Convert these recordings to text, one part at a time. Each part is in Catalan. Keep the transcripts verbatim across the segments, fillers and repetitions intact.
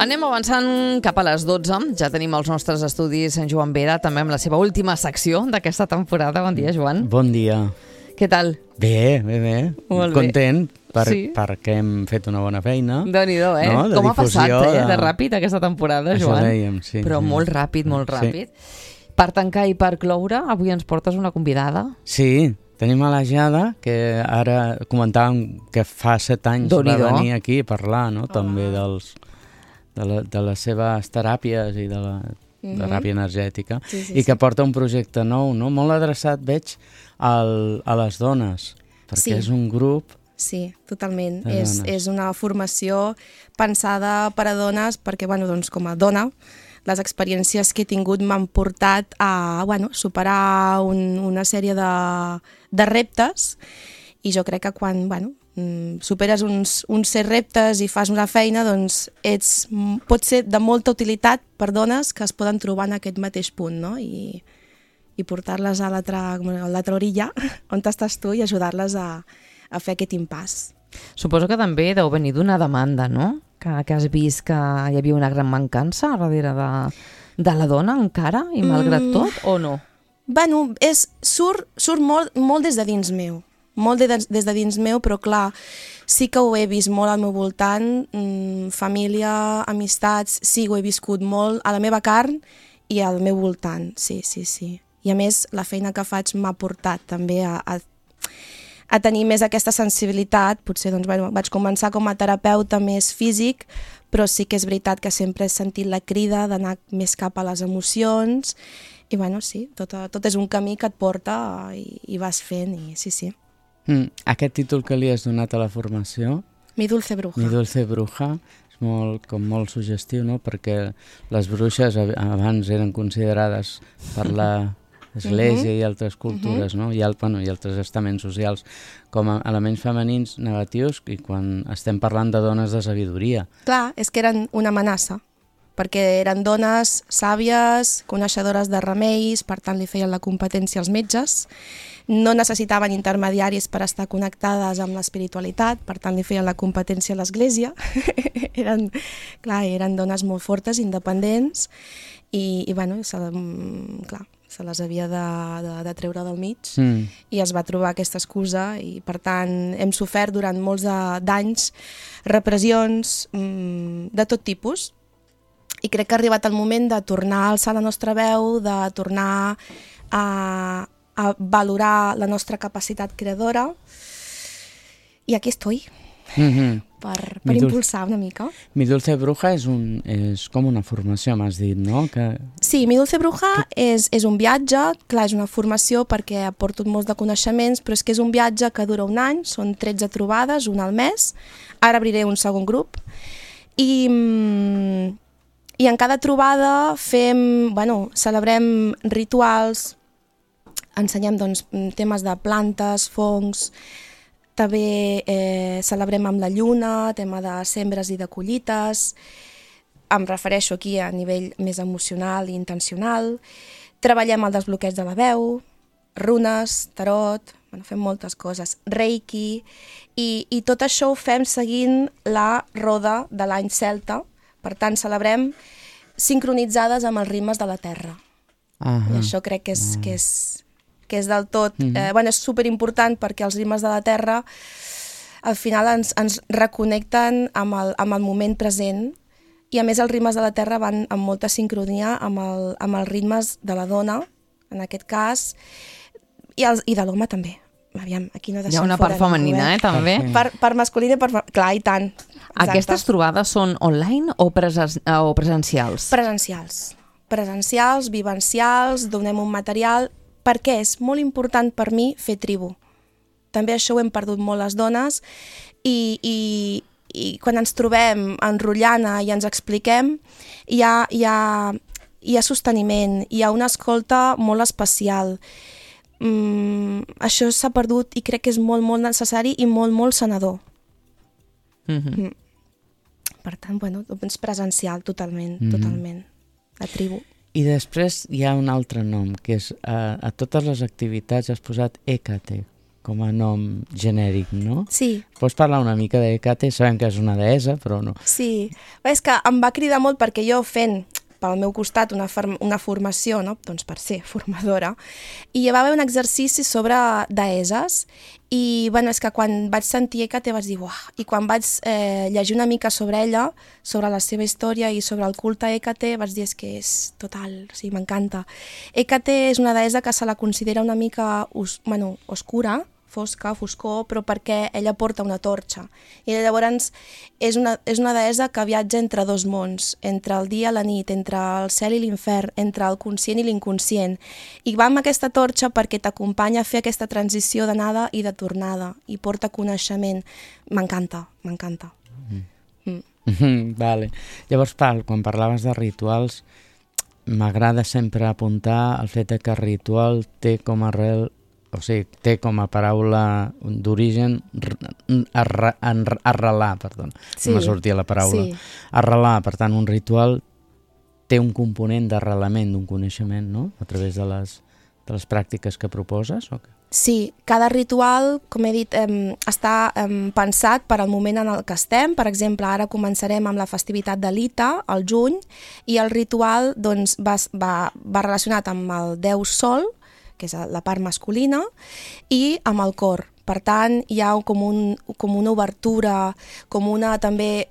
Anem avançant cap a les dotze. Ja tenim els nostres estudis en Joan Vera, també amb la seva última secció d'aquesta temporada. Bon dia, Joan. Bon dia. Què tal? Bé, bé, bé. Molt bé. Content per, Sí. perquè hem fet una bona feina. Déu-n'hi-do, eh? No? De Com ha passat, difusió, eh? de- De ràpid aquesta temporada, Això Joan. dèiem, sí, Però sí. molt ràpid, molt Sí. ràpid. Per tancar i per cloure, avui ens portes una convidada. Sí, tenim a la Jada, que ara comentàvem que fa set anys va Déu-n'hi-do. venir aquí a parlar, no? També dels, de, la, de les seves teràpies i de la Mhm. teràpia energètica, Sí, sí, i que sí. porta un projecte nou, no? Molt adreçat, veig, al, a les dones, perquè Sí. és un grup. Sí, totalment. De És, dones. és una formació pensada per a dones perquè, bueno, doncs, com a dona, les experiències que he tingut m'han portat a, bueno, superar un, una sèrie de, de reptes, i jo crec que quan, bueno, mm, superes uns, uns certs reptes i fas una feina, doncs ets, pot ser de molta utilitat per dones que es poden trobar en aquest mateix punt, no? I, i portar-les a l'altra a l'altra orilla, on estàs tu, i ajudar-les a, a fer aquest impàs. Suposo que també deu venir d'una demanda, no? Que, que has vist que hi havia una gran mancança darrere de, de la dona encara, i malgrat Mm. tot, o no? Bueno, és, surt, surt molt, molt des de dins meu, molt de, des de dins meu, però clar, sí que ho he vist molt al meu voltant, mmm, família, amistats, sí, ho he viscut molt a la meva carn i al meu voltant, sí, sí, sí. I a més, la feina que faig m'ha portat també a, a, a tenir més aquesta sensibilitat. Potser doncs, bueno, vaig començar com a terapeuta més físic, però sí que és veritat que sempre he sentit la crida d'anar més cap a les emocions, i bueno, sí, tot, tot és un camí que et porta i, i vas fent, i sí, sí. Mm, aquest títol que li has donat a la formació, Mi dulce bruja. Mi dulce bruja, és molt, com molt suggestiu, no? Perquè les bruixes ab- abans eren considerades per l'Església i altres cultures, no? I, al, bueno, i altres estaments socials com a elements femenins negatius, i quan estem parlant de dones de sabidoria. Clar, és que eren una amenaça, perquè eren dones sàvies, coneixedores de remeis, per tant li feien la competència als metges, no necessitaven intermediaris per estar connectades amb l'espiritualitat, per tant li feien la competència a l'Església. eren, clar, eren dones molt fortes, independents, i, i bueno, se, mm, clar, se les havia de, de, de treure del mig, Mm. i es va trobar aquesta excusa, i per tant hem sofert durant molts de- d'anys repressions mm, de tot tipus, i crec que ha arribat el moment de tornar a alçar la nostra veu, de tornar a, a valorar la nostra capacitat creadora, i aquí estoy, Mm-hmm. per, Mi per dul- impulsar una mica. Mi dulce bruja és, un, és com una formació, m'has dit, no? Que... Sí, Mi dulce bruja és, és un viatge, clar, és una formació perquè aporto molts de coneixements, però és que és un viatge que dura un any, són tretze trobades, una al mes, ara obriré un segon grup, i, mm, i en cada trobada fem, bueno, celebrem rituals, ensenyem doncs, temes de plantes, fongs, també eh, celebrem amb la lluna, tema de sembres i de collites, em refereixo aquí a nivell més emocional i intencional, treballem el desbloqueig de la veu, runes, tarot, bueno, fem moltes coses, reiki, i, i tot això ho fem seguint la roda de l'any celta, per tant celebrem sincronitzades amb els ritmes de la terra. Ah, I això crec que és, que és, que és del tot, eh, bueno, és superimportant, perquè els ritmes de la terra al final ens, ens reconnecten amb el, amb el moment present, i a més els ritmes de la terra van amb molta sincronia amb, el, amb els ritmes de la dona, en aquest cas, i, els, i de l'home també. Aviam, aquí no Hi ha deixem una fora part femenina, ningú, eh, també. Sí. Per, per masculina i per... fe- Clar, i tant. Exacte. Aquestes trobades són online o, presen o presencials? Presencials. Presencials, vivencials, donem un material, perquè és molt important per mi fer tribu. També això ho hem perdut molt les dones, i, i, i quan ens trobem enrotllant i ens expliquem, hi ha, hi ha, hi ha sosteniment, hi ha una escolta molt especial. Mm, això s'ha perdut, i crec que és molt, molt necessari i molt, molt sanador. Mm-hmm. Per tant, bueno, és presencial totalment, Mhm. totalment. La tribu. I després hi ha un altre nom, que és a, a totes les activitats has posat Hécate. com a nom genèric, no? Sí. Pots parlar una mica d'Hècate? Sabem que és una deessa, però no. Sí. Bé, és que em va cridar molt perquè jo fent pel meu costat una, una formació, no? Doncs per ser formadora, i hi va haver un exercici sobre deesses i bueno, és que quan vaig sentir Hècate vaig dir uah, i quan vaig eh, llegir una mica sobre ella, sobre la seva història i sobre el culte a Hècate, vaig dir és que és total, o sigui, m'encanta. Hècate és una deessa que se la considera una mica os, bueno, oscura, fosca, foscor, però perquè ella porta una torxa. I llavors és una, és una deessa que viatja entre dos mons, entre el dia i la nit, entre el cel i l'infern, entre el conscient i l'inconscient. I va amb aquesta torxa perquè t'acompanya a fer aquesta transició d'anada i de tornada, i porta coneixement. M'encanta, m'encanta. Mm. Mm. Vale. Llavors, Pal, quan parlaves de rituals, m'agrada sempre apuntar el fet que el ritual té com a arrel o sigui, té com a paraula d'origen arra, arrelar, perdó, sí, no m'ha sortit la paraula. Sí. Arrelar, per tant, un ritual té un component d'arrelament d'un coneixement, no? A través de les, de les pràctiques que proposes? O què? Sí, cada ritual, com he dit, eh, està eh, pensat per al moment en el que estem. Per exemple, ara començarem amb la festivitat de l'Ita, al juny, i el ritual doncs, va, va, va relacionat amb el déu Sol, que és la part masculina, i amb el cor. Per tant, hi ha com, un, com una obertura, com una també...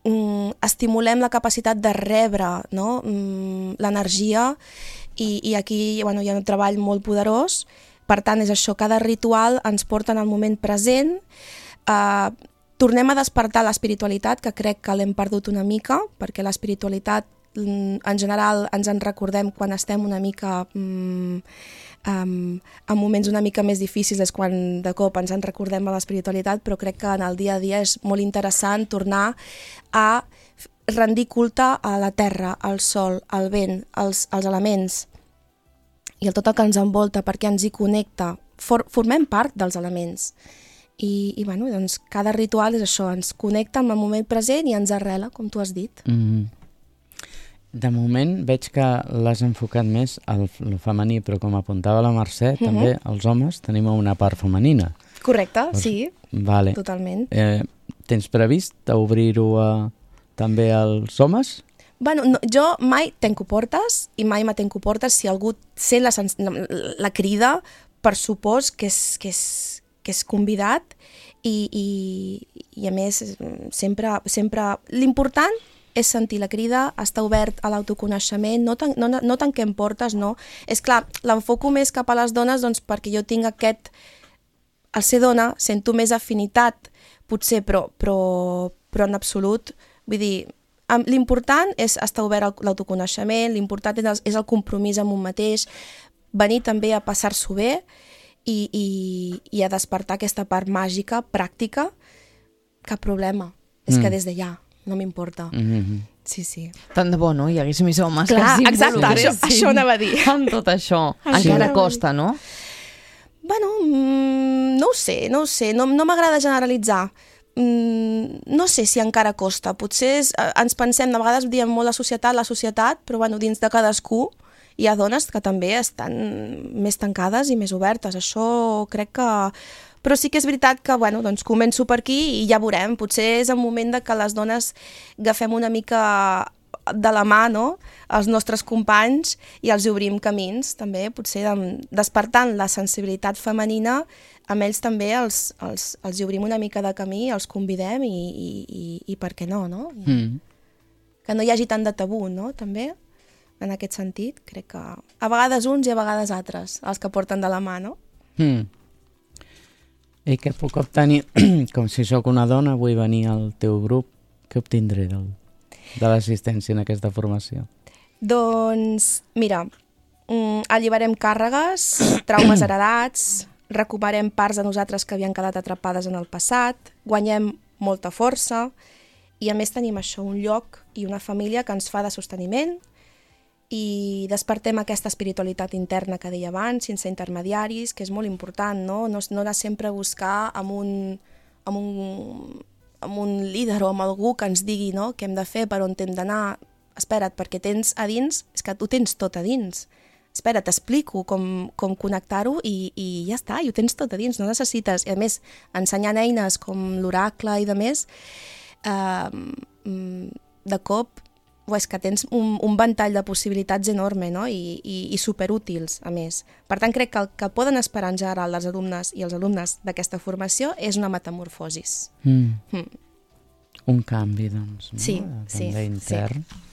Mm, estimulem la capacitat de rebre, no? mm, l'energia, i, i aquí bueno, hi ha un treball molt poderós. Per tant, és això, cada ritual ens porta en el moment present. Eh, tornem a despertar l'espiritualitat, que crec que l'hem perdut una mica, perquè l'espiritualitat en general ens en recordem quan estem una mica um, um, en moments una mica més difícils, és quan de cop ens en recordem a l'espiritualitat, però crec que en el dia a dia és molt interessant tornar a rendir culte a la terra, al sol, al vent, als, als elements i a tot el que ens envolta, perquè ens hi connecta. For, formem part dels elements. I, i bueno, doncs cada ritual és això, ens connecta amb el moment present i ens arrela, com tu has dit. Mm-hmm. De moment veig que l'has enfocat més al femení, però com apuntava la Mercè, mm-hmm. també els homes tenim una part femenina. Correcte, pues, sí, vale. Totalment. Eh, tens previst obrir-ho a, també als homes? Bueno, no, jo mai tenco portes i mai me tenco portes. Si algú sent la, la, la crida, per supòs que és, que és, que és convidat i, i, i a més sempre, sempre l'important és sentir la crida, estar obert a l'autoconeixement, no, tan, no, no tanquem portes, no. És clar, l'enfoco més cap a les dones doncs, perquè jo tinc aquest... Al ser dona sento més afinitat, potser, però, però, però en absolut, vull dir, l'important és estar obert a l'autoconeixement, l'important és, és el compromís amb un mateix, venir també a passar-s'ho bé i, i, i a despertar aquesta part màgica, pràctica, cap problema. És mm. que des d'allà no m'importa. Mm-hmm. Sí, sí. Tant de bo, no? Hi hagués més homes Clar, que exacte, això, això anava a dir. Amb tot això. Sí. Encara costa, no? Bueno, mm, no ho sé, no ho sé. No, no m'agrada generalitzar. Mm, no sé si encara costa. Potser és, ens pensem, de vegades diem molt la societat, la societat, però bueno, dins de cadascú hi ha dones que també estan més tancades i més obertes. Això crec que... Però sí que és veritat que, bueno, doncs començo per aquí i ja veurem. Potser és el moment de que les dones agafem una mica de la mà, no?, els nostres companys i els obrim camins, també, potser despertant la sensibilitat femenina, amb ells també els, els, els obrim una mica de camí, els convidem i, i, i, i per què no, no? Mm. Que no hi hagi tant de tabú, no?, també, en aquest sentit. Crec que a vegades uns i a vegades altres, els que porten de la mà, no? Mm. I què puc obtenir? Com si sóc una dona, vull venir al teu grup, què obtindré del, de l'assistència en aquesta formació? Doncs, mira, alliberem càrregues, traumes heredats, recuperem parts de nosaltres que havien quedat atrapades en el passat, guanyem molta força i a més tenim això, un lloc i una família que ens fa de sosteniment i despertem aquesta espiritualitat interna que deia abans, sense intermediaris, que és molt important, no? No, no anar sempre a buscar amb un, amb, un, amb un líder o amb algú que ens digui, no?, què hem de fer, per on hem d'anar. Espera't, perquè tens a dins, és que tu tens tot a dins. espera, t'explico com, com connectar-ho i, i ja està, i ho tens tot a dins, no necessites. I a més, ensenyant eines com l'oracle i de més, eh, de cop és que tens un, un ventall de possibilitats enorme, no? I, i, i superútils, a més. Per tant, crec que el que poden esperar en general els alumnes i els alumnes d'aquesta formació és una metamorfosis. Mm. Mm. Un canvi, doncs, no? Sí, També sí, intern. sí.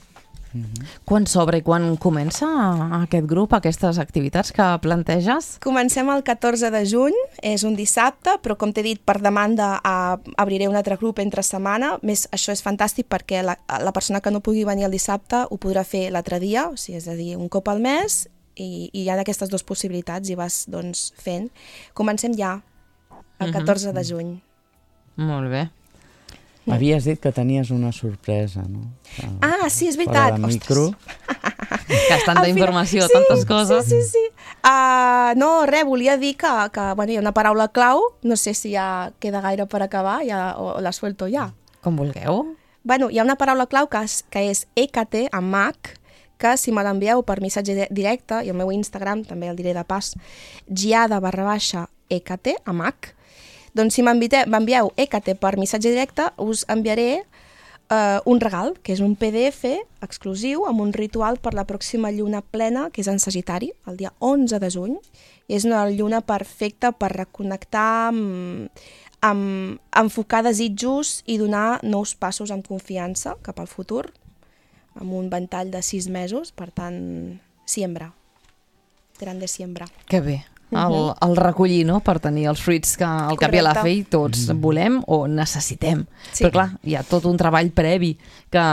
Mm-hmm. Quan s'obre i quan comença aquest grup, aquestes activitats que planteges? Comencem el catorze de juny, és un dissabte, però com t'he dit, per demanda a, obriré un altre grup entre setmana. Més, això és fantàstic perquè la, la persona que no pugui venir el dissabte ho podrà fer l'altre dia, o sigui, és a dir, un cop al mes, i, i hi ha aquestes dues possibilitats i vas doncs, fent. Comencem ja, el catorze de juny. Molt bé. Havies dit que tenies una sorpresa, no? Ah, sí, és veritat. Fora de micro. Que és tanta Al final- informació, sí, tantes coses. Sí, sí, sí. Uh, no, res, volia dir que, que bueno, hi ha una paraula clau, no sé si ja queda gaire per acabar ja, o, o la suelto ja. Com vulgueu. Bueno, hi ha una paraula clau que és, que és E K T amb H, que si me l'envieu per missatge di- directe, i el meu Instagram també el diré de pas, giada barra baixa E K T amb H, doncs si m'envieu E K T per missatge directe, us enviaré uh, un regal, que és un P D F exclusiu amb un ritual per la pròxima lluna plena, que és en Sagitari, el dia onze de juny. I és una lluna perfecta per reconnectar, amb, amb enfocar desitjos i donar nous passos amb confiança cap al futur, amb un ventall de sis mesos, per tant, siembra. Grande siembra. Que bé. El, el recollir, no?, per tenir els fruits que al cap i a la Correcte. fi tots volem o necessitem. Sí. Però clar, hi ha tot un treball previ que,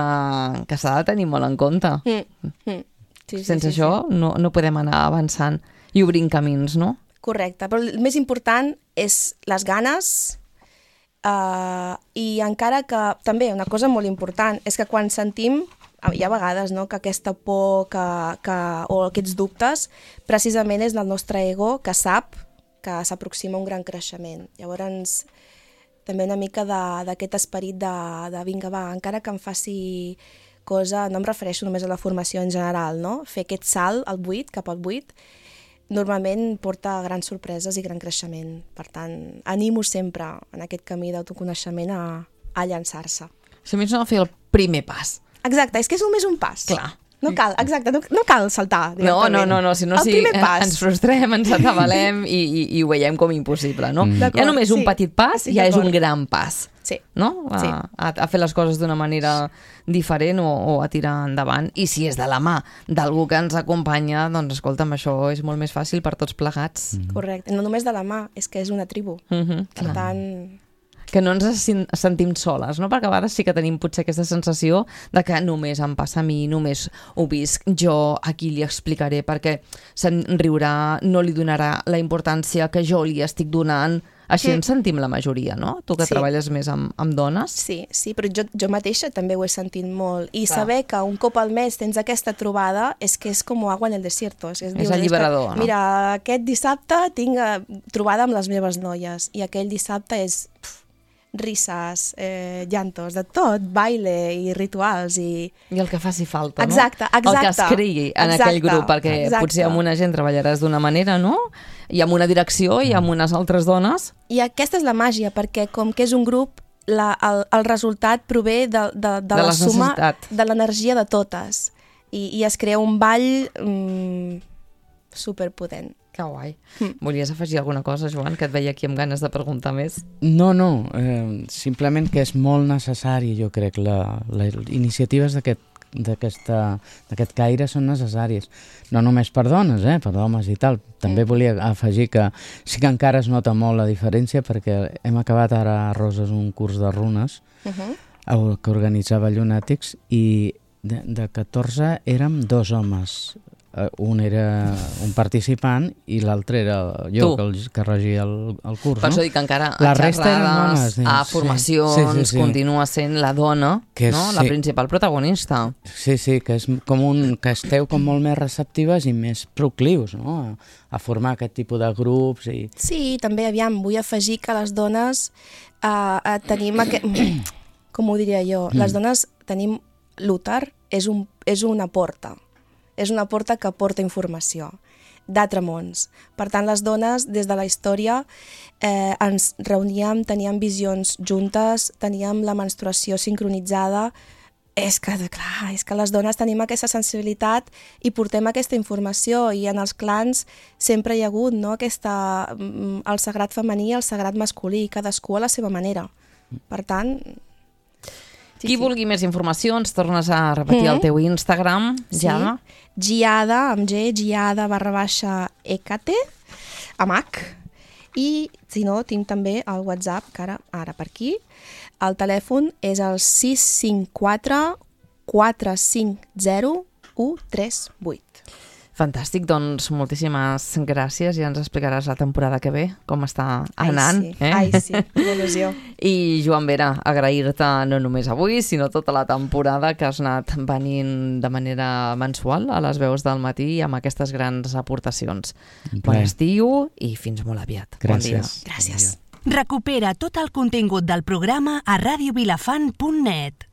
que s'ha de tenir molt en compte. Mm. Mm. Sí, sí, Sense sí, això sí. no, no podem anar avançant i obrint camins, no? Correcte, però el més important és les ganes, uh, i encara que també una cosa molt important és que quan sentim, hi ha vegades, no?, que aquesta por que, que, o aquests dubtes precisament és del nostre ego que sap que s'aproxima un gran creixement. Llavors, també una mica de- d'aquest esperit de, de vinga, va, encara que em faci cosa, no em refereixo només a la formació en general, no? Fer aquest salt al buit, cap al buit, normalment porta grans sorpreses i gran creixement. Per tant, animo sempre en aquest camí d'autoconeixement a, a llançar-se. Si més no, fer el primer pas. Exacte, és que és només un pas. Clar. No cal, exacte, no, no cal saltar No, directament. no, no, no, si no, el si primer pas. ens frustrem, ens atabalem i, i, i ho veiem com impossible, no? Mm. Ja D'acord, només un sí, petit pas estic ja és d'acord. un gran pas, Sí. no? A, Sí. a, a fer les coses d'una manera diferent o, o a tirar endavant. I si és de la mà d'algú que ens acompanya, doncs escolta'm, això és molt més fàcil per tots plegats. Mm. Correcte, no només de la mà, és que és una tribu. Mm -hmm, Per tant, que no ens sen- sentim soles, no? Perquè a vegades sí que tenim potser aquesta sensació de que només em passa a mi, només ho visc jo, a qui li explicaré, perquè se'n riurà, no li donarà la importància que jo li estic donant. Així Mm. ens sentim la majoria, no? Tu que Sí. treballes més amb, amb dones. sí, sí, però jo, jo mateixa també ho he sentit molt. I Clar. saber que un cop al mes tens aquesta trobada és que és com agua en el desierto. És, és, dius, alliberador, que, no? Mira, aquest dissabte tinc eh, trobada amb les meves noies i aquell dissabte és pf, risses, eh, llantos, de tot, baile i rituals i... I el que faci falta, Exacte, no? El que es exacte. creï en Exacte, aquell grup, perquè exacte. potser amb una gent treballaràs d'una manera, no? I amb una direcció i amb unes altres dones. I aquesta és la màgia, perquè com que és un grup, la, el, el resultat prové de, de, de, De la la suma necessitat. de l'energia de totes. I, I es crea un ball mm, superpotent. Que guai. Mm. Volies afegir alguna cosa, Joan, que et veia aquí amb ganes de preguntar més? No, no, eh, simplement que és molt necessari, jo crec, la, les iniciatives d'aquest d'aquesta- d'aquest caire són necessàries. No només per dones, eh, per homes i tal. També Mm. volia afegir que sí que encara es nota molt la diferència perquè hem acabat ara a Roses un curs de runes Uh -huh. el que organitzava Llunàtics i de, de catorze érem dos homes. Uh, un era un participant i l'altre era Tu. jo, que, el, que regia el, el curs. Per no? això dic que encara La a resta eren xerrades, dones, sí. a Sí. formacions, Sí, sí, sí. continua sent la dona, Que és- no? La sí. principal protagonista. Sí, sí, que és com un, que esteu com molt més receptives i més proclius, no? A, a formar aquest tipus de grups i... Sí, també, aviam, vull afegir que les dones eh, eh, tenim aquest... Com ho diria jo? Mm. Les dones tenim... L'úter és, un, és una porta. És una porta que porta informació. d'Atremons. Per tant, les dones, des de la història, eh, ens reuníem, teníem visions juntes, teníem la menstruació sincronitzada. És que, clar, és que les dones tenim aquesta sensibilitat i portem aquesta informació, i en els clans sempre hi ha hagut, no?, aquesta, el sagrat femení i el sagrat masculí, cadascú a la seva manera. Per tant... Sí, Qui sí. vulgui més informació, ens tornes a repetir mm-hmm. el teu Instagram, Giada. Sí, Giada, amb G, Giada barra baixa Ecate, amb H. I, si no, tinc també el WhatsApp, que ara, ara per aquí. El telèfon és el sis cinc quatre quatre cinc zero u tres vuit. Fantàstic, doncs moltíssimes gràcies, ja ens explicaràs la temporada que ve, com està anant. Ai, sí, eh? Ai, sí, il·lusió. I Joan Vera, agrair-te no només avui, sinó tota la temporada que has anat venint de manera mensual a les veus del matí amb aquestes grans aportacions. Bon estiu i fins molt aviat. Gràcies. Bon dia. Gràcies. Recupera tot el contingut del programa a radio vilafant punt net.